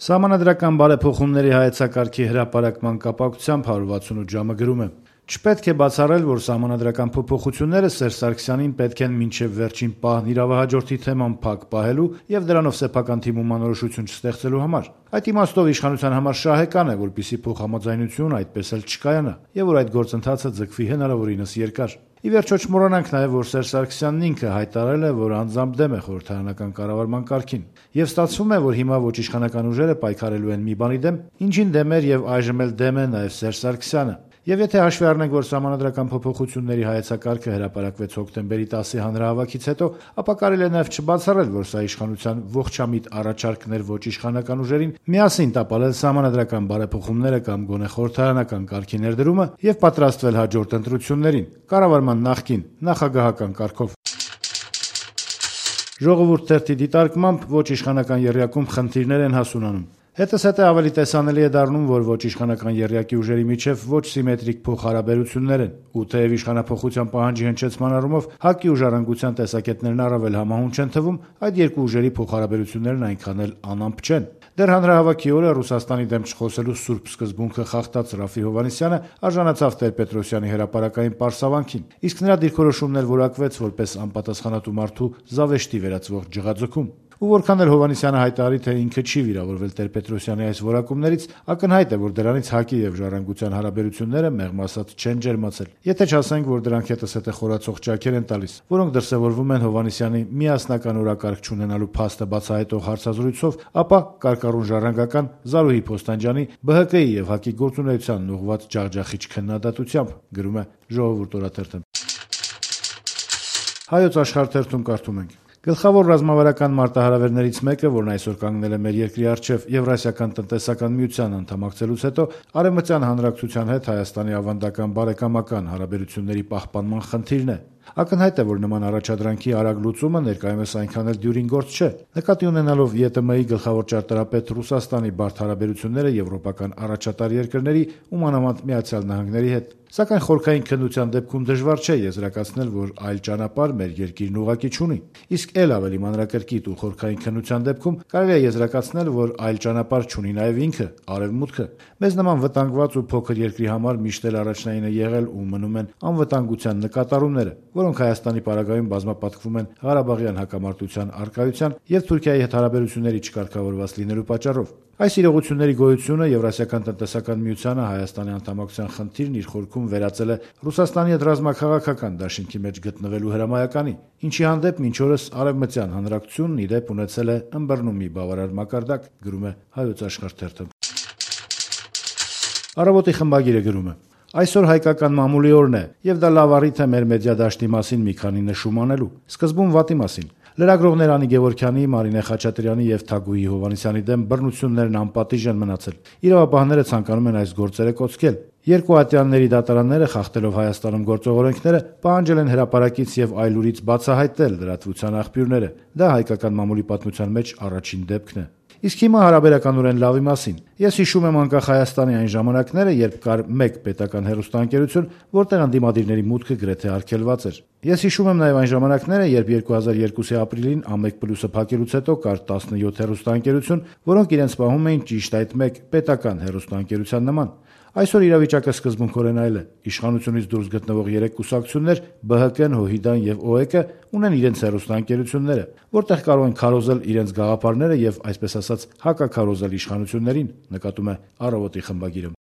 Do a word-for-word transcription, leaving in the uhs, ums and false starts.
Սահմանադրական բարեփոխումների հայեցակարգի հրապարակման կապակցությամբ հարյուր վաթսունութ ժամը գրում է. «Չպետք է բացառել, որ սահմանադրական փոփոխությունները Սերժ Սարգսյանին պետք են մինչև վերջին պահն իրավահաջորդի թեման փակ պահելու եւ դրանով սեփական թիմում անորոշություն չստեղծելու համար։ Այդ իմաստով իշխանության համար շահեկան է, որպեսզի փոխհամաձայնություն այդպես էլ չկայանա եւ որ այդ գործընթացը ձգվի հնարավորինս երկար։ Ի վերջո չմոռանանք նաեւ, որ Սերժ Սարգսյանն ինքը հայտարարել է, որ անձամբ դեմ է խորհրդարանական կառավարման կարգին։ Եվ ստացվում է, որ հիմա ոչ իշխանական ուժերը պայքարելու են մի բանի դեմ, ինչին դեմ էր եւ այժմ էլ դեմ է նաեւ Սերժ Սարգսյանը։ Եվ եթե հաշվի առնենք, որ սահմանադրական փոփոխությունների հայեցակարգը հրապարակվեց հոկտեմբերի տասի հանրահավաքից հետո, ապա կարելի է նաեւ չբացառել, որ սա իշխանության ողջամիտ առաջարկն էր ոչ իշխանական ուժերին միասին տապալել սահմանադրական բարեփոխումները կամ գոնե խորհրդարանական կարգի ներդրումը եւ պատրաստվել հաջորդ ընտրություններին, կառավարման նախկին նախագահական կարգով։ Ժողովուրդ թերթի դիտարկմամբ ոչ իշխանական եռյակում խնդիրներ են հասունանում։ Հետզհետե ավելի տեսանելի է դառնում, որ ոչ իշխանական եռյակի ուժերի միջև ոչ սիմետրիկ փոխհարաբերություններ են, ու թեև իշխանափոխության պահանջի հնչեցման առումով ՀԱԿ-ի ու Ժառանգության տեսակետներն առավել համահունչ են թվում, այդ երկու ուժերի փոխհարաբերություններն այնքան էլ անամպ չեն։ Դեռ հանրահավաքի օրը Ռուսաստանի դեմ չխոսելու սուրբ սկզբունքը խախտած Ռաֆֆի Հովհաննիսյանը արժանացավ Տեր-Պետրոսյանի հրապարակային պարսավանքին, իսկ նրա դիրքորոշումն էլ որակվեց որպես անպատասխանատու մարդու զավեշտի վերածվող ջղաձգում։ Ու որքան էլ Հովհաննիսյանը հայտարարի, թե ինքը չի վիրավորվել Տեր-Պետրոսյանի այս որակումներից, ակնհայտ է, որ դրանից ՀԱԿ-ի եւ Ժառանգության հարաբերությունները մեղմ ասած չեն ջերմացել։ Եթե չասենք, որ դրանք հետզհետե խորացող ճաքեր են տալիս, որոնք դրսևորվում են Հովհաննիսյանի միասնական օրակարգ չունենալու փաստը բացահայտող հարցազրույցով, ապա կարկառուն ժառանգական Զարուհի Փոստանջյանի, ԲՀԿ-ի եւ ՀԱԿ-ի գործունեությանն ուղղված ջախջախիչ քննադատությամբ, գրում է Ժողովուրդ օրաթերթը։ Հայոց Աշխարհ թերթում կարդում ենք. Գլխավոր ռազմավարական մարտահրավերներից մեկը, որն այսօր կանգնել է մեր երկրի առջև Եվրասիական տնտեսական միության անդամակցելուց հետո, Արևմտյան հանրակցության հետ Հայաստանի ավանդական բարեկամական հարաբերությունների պահպանման խնդիրն է։ Ակնհայտ է, որ նման առաջադրանքի արագ լուծումը ներկայումս այնքան էլ դյուրին գործ չէ։ Նկատի ունենալով ԵՏՄ-ի գլխավոր ճարտարապետ Ռուսաստանի բարդ հարաբերությունները եվրոպական առաջատար երկրների ու մանավանդ Միացյալ Նահանգների հետ։ Սակայն խորքային քննության դեպքում դժվար չէ եզրակացնել, որ այլ ճանապարհ մեր երկիրն ուղղակի չունի։ Իսկ ել ավելի մանրակրկիտ ու խորքային քննության դեպքում կարելի է եզրակացնել, որ այլ ճանապարհ չունի նաև ինքը՝ Արևմուտքը։ Մեզ նման վտանգված ու փոքր երկրի համար միշտ էլ առաջնայինը եղել ու մնում են անվտանգության նկատառումները, որոնք Հայաստանի պարագայում բազմապատկվում են Ղարաբաղյան հակամարտության առկայության եւ Թուրքիայի հետ հարաբերությունների չկարգավորված լինելու պատճառով։ Այս իրողությունների գոյությունը Եվրասիական տնտեսական միությանը Հայաստանի անդամակցության խնդիրն իր խորքում վերածել է Ռուսաստանի հետ ռազմաքաղաքական դաշինքի մեջ գտնվելու հրամայականի, ինչի հանդեպ մինչ օրս Արևմտյան հանրակցությունն ի դեպ ունեցել է ըմբռնումի բավարար մակարդակ, գրում է Հայոց Աշխարհ թերթը։ Առավոտի խմբագիրը գրում է. Այսօր հայկական մամուլի օրն է, եւ դա լավ առիթ է մեր մեդիա դաշտի մասին մի քանի նշում անելու։ Սկզբում վատի մասին։ Լրագրողներ Անի Գևորգյանի, Մարինե Խաչատրյանի եւ Թագուհի Հովհաննիսյանի դեմ բռնություններն անպատիժ են մնացել։ Իրավապահները ցանկանում են այս գործերը կոծկել։ Երկու ատյանների դատարանները, խախտելով Հայաստանում գործող օրենքները, պահանջել են հրապարակից եւ այլուրից բացահայտել լրատվության աղբյուրները։ Դա հայկական մամուլի պատմության մեջ առաջին դեպքն է։ Իսկ հիմա հարաբերականորեն լավի մասին։ Ես հիշում եմ անկախ Հայաստանի այն ժամանակները, երբ կար մեկ պետական հեռուստաընկերություն, որտեղ ընդդիմադիրների մուտքը գրեթե արգելված էր։ Ես հիշում եմ նաև այն ժամանակները, երբ երկու հազար երկուսի ապրիլին Ամեկ Պլյուսը փակելուց հետո կար տասնյոթ հեռուստաընկերություն, որոնք իրենց պահում էին ճիշտ այդ մեկ պետական հեռուստաընկերության նման։ Այսօր իրավիճակը սկզբունքորեն այլ է։ Իշխանությունից դուրս գտնվող երեք կուսակցություններ՝ ԲՀԿ-ն, ՀՅԴ-ն եւ ՕԵԿ-ը, ունեն իրենց հեռուստաընկերությունները, որտեղ կարող են քարոզել իրենց գաղափարները եւ, այսպես ասած, հակաքարոզել իշխանություններին, նկատում է Առավոտի խմբագիրը։